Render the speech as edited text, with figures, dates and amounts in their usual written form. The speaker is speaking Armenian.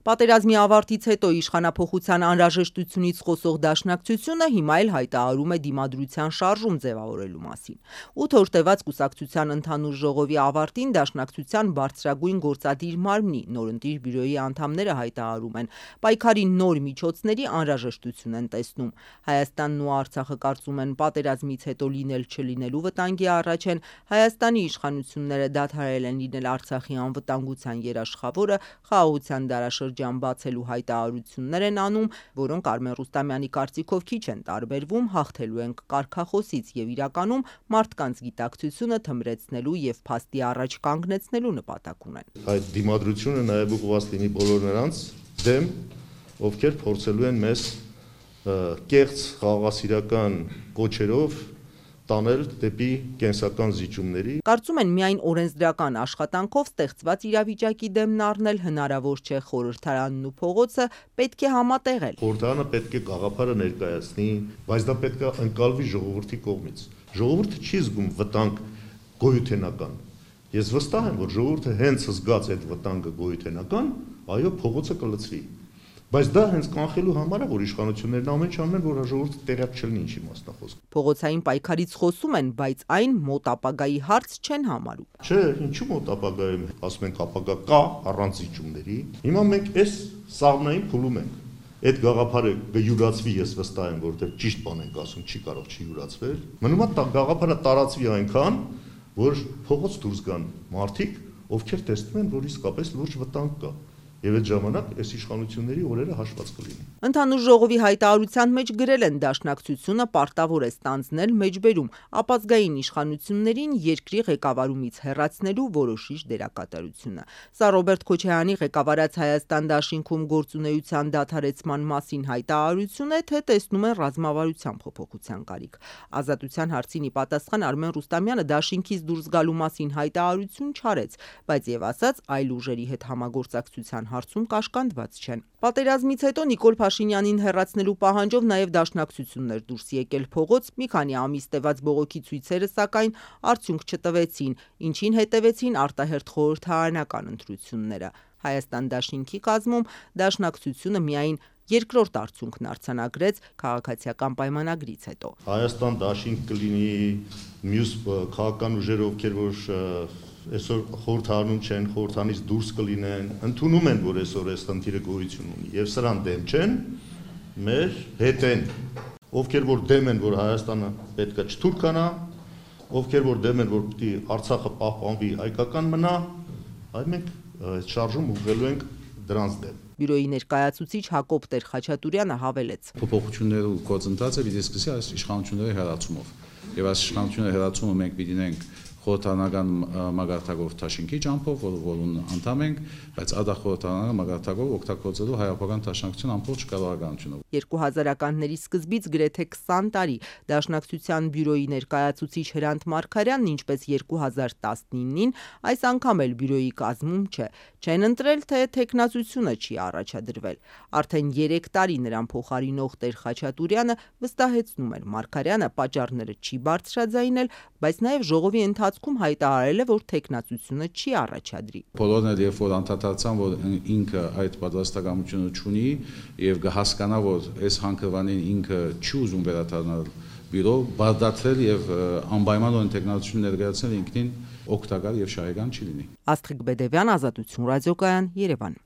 Պատերազմի ավարտից հետո իշխանափոխության անհրաժեշտությունից խոսող Դաշնակցությունը հիմա էլ հայտարարում է դիմադրության շարժում ձևավորելու մասին։ 8 օր տևած կուսակցության ընդհանուր ժողովի ավարտին Դաշնակցության բարձրագույն գործադիր մարմնի նորընտիր բյուրոյի անդամները հայտարարում են պայքարի նոր միջոցների անհրաժեշտություն են տեսնում։ Հայաստանն ու Արցախը կարծում են պատերազմից հետո լինել չլինելու վտանգի առաջ են, Հայաստանի իշխանությունները դադարել են լինել Արցախի անվտանգության երաշխավորը, խաղաղության դարաշրջան բացելու հայտարարություններ են անում, որոնք Արմեն Ռուստամյանի կարծիքով քիչ են տարբերվում հաղթելու ենք կարգախոսից եւ իրականում մարդկանց գիտակցությունը թմրեցնելու եւ փաստի առաջ կանգնեցնելու նպատակ ունեն։ Այդ դիմադրությունը նաեւ ուղղված լինի բոլոր նրանց դեմ, ովքեր փորձելու են մեզ կեղծ խաղաղասիրական կոչերով տանել դեպի կենսական զիջումների։ Կարծում են միայն օրենսդրական աշխատանքով ստեղծված իրավիճակի դեմն առնել հնարավոր չէ, խորհրդարանն ու փողոցը պետք է համատեղել։ Խորհրդարանը պետք է գաղափարը ներկայացնի, բայց դա պետք է ընկալվի ժողովրդի կողմից։ Ժողովուրդը չի զգում վտանգ գոյութենական։ Ես վստահ եմ, որ ժողովուրդը հենց զգաց այդ վտանգը գոյութենական, այո, փողոցը կլցվի։ Բայց դա հենց կանխելու համար է, որ իշխանություններն ամեն ինչ անեն, որ ժողովուրդը տեղյակ չլինի ինչի մասն է խոսքը։ Փողոցային պայքարից խոսում են, բայց այն մոտ ապագայի հարց չեն համարում։ Չէ, ինչու մոտ ապագայում, ասում ենք ապագա կա առանց զիջումների։ Հիմա մենք այս սաղմնային փուլում ենք։ Այդ գաղափարը կյուրացվի, ես վստահ եմ, որովհետև ճիշտ բան ենք ասում, չի կարող չյուրացվել։ Մնում է գաղափարը տարածվի այնքան, որ փողոց դուրս գան մարդիկ, ովքեր տեսնում են, որ իսկապես լուրջ վտանգ կա։ Եվ այդ ժամանակ այս իշխանությունների օրերը հաշված կլինի։ Ընդհանուր ժողովի հայտարարության մեջ գրել են Դաշնակցությունը պարտավոր է ստանձնել մեջբերում ապազգային իշխանություններին երկրի ղեկավարումից հեռացնելու որոշիչ դերակատարությունը։ Սա Ռոբերտ Քոչարյանի ղեկավարած Հայաստան դաշինքում գործունեության դադարեցման մասին հայտարարություն է, թե տեսնում են ռազմավարության փոփոխության կարիք։ Ազատության հարցին ի պատասխան Արմեն Ռուստամյանը դաշինքից դուրս գալու մասին հայտարարություն չարեց, բայց եւ ասաց այլ ուժերի հետ համագործակցության հարցում կաշկանդված չեն։ Պատերազմից հետո Նիկոլ Փաշինյանին հեռացնելու պահանջով նաև Դաշնակցություններ դուրս եկել փողոց, մի քանի ամիս տևած բողոքի ցույցերը սակայն արդյունք չտվեցին, ինչին հետևեցին արտահերթ խորհրդարանական ընտրությունները։ Հայաստան դաշինքի կազմում Դաշնակցությունը միայն երկրորդ արդյունքն արձանագրեց քաղաքացիական պայմանագրից հետո։ Հայաստան դաշինք կլինի, մյուս քաղաքական ուժեր, ովքեր որ այսօր խորհրդարանում չեն, խորհրդանից դուրս կլինեն, ընդունում են, որ այսօր այս խնդիրը գոյություն ունի, եւ սրան դեմ չեն, մեր հետ են, ովքեր որ դեմ են, որ Հայաստանը պետք է չթուրքանա, ովքեր որ դեմ են, որ պիտի Արցախը պահպանվի, հայկական մնա, այ մենք այս շարժում ուղղելու ենք դրանց դեմ։ Բյուրոյի ներկայացուցիչ Հակոբ Տեր-Խաչատուրյանը հավելեց. Փոփոխությունների գործընթացը պիտի սկսի այս իշխանությունների հեռացումով։ Եվ այս իշխանությունների հեռացումը մենք պիտի ունենք խորհրդարանական մագարտակով Թաշինքի ճամփով, որուն անդամ ենք, բայց ադա խորհրդարանական մագարտակով օգտագործելու հայապական Դաշնակցության ամբողջ կառավարությունը։ 2000-ականների սկզբից գրեթե 20 տարի Դաշնակցության բյուրոյի ներկայացուցիչ Հրանտ Մարգարյանն, ինչպես 2019-ին, այս անգամ էլ բյուրոյի կազմում չէ։ Չեն ընտրել, թե թեկնածությունը չի առաջադրվել։ Արդեն 3 տարի նրան փոխարինող Տեր-Խաչատուրյանը վստահեցնում էր Մարգարյանը պատճառները չի բարձրաձայնել, բայց նաև ժողովի ընթացքում հայտարարել է, որ թեկնածությունը չի առաջադրի։ Բոլորն էլ երբ որ անդադարձան, որ ինքը այդ պատրաստակամությունը չունի եւ կհասկանա, որ այս հանքավանին ինքը չի ուզում վերադառնալ բյուրո, բարդացրել եւ անպայմանորեն թեկնածություն ներկայացնել ինքնին օգտակար եւ շահեկան չի լինի։ Աստղիկ Բեդևյան, Ազատություն ռադիոկայան, Երևան։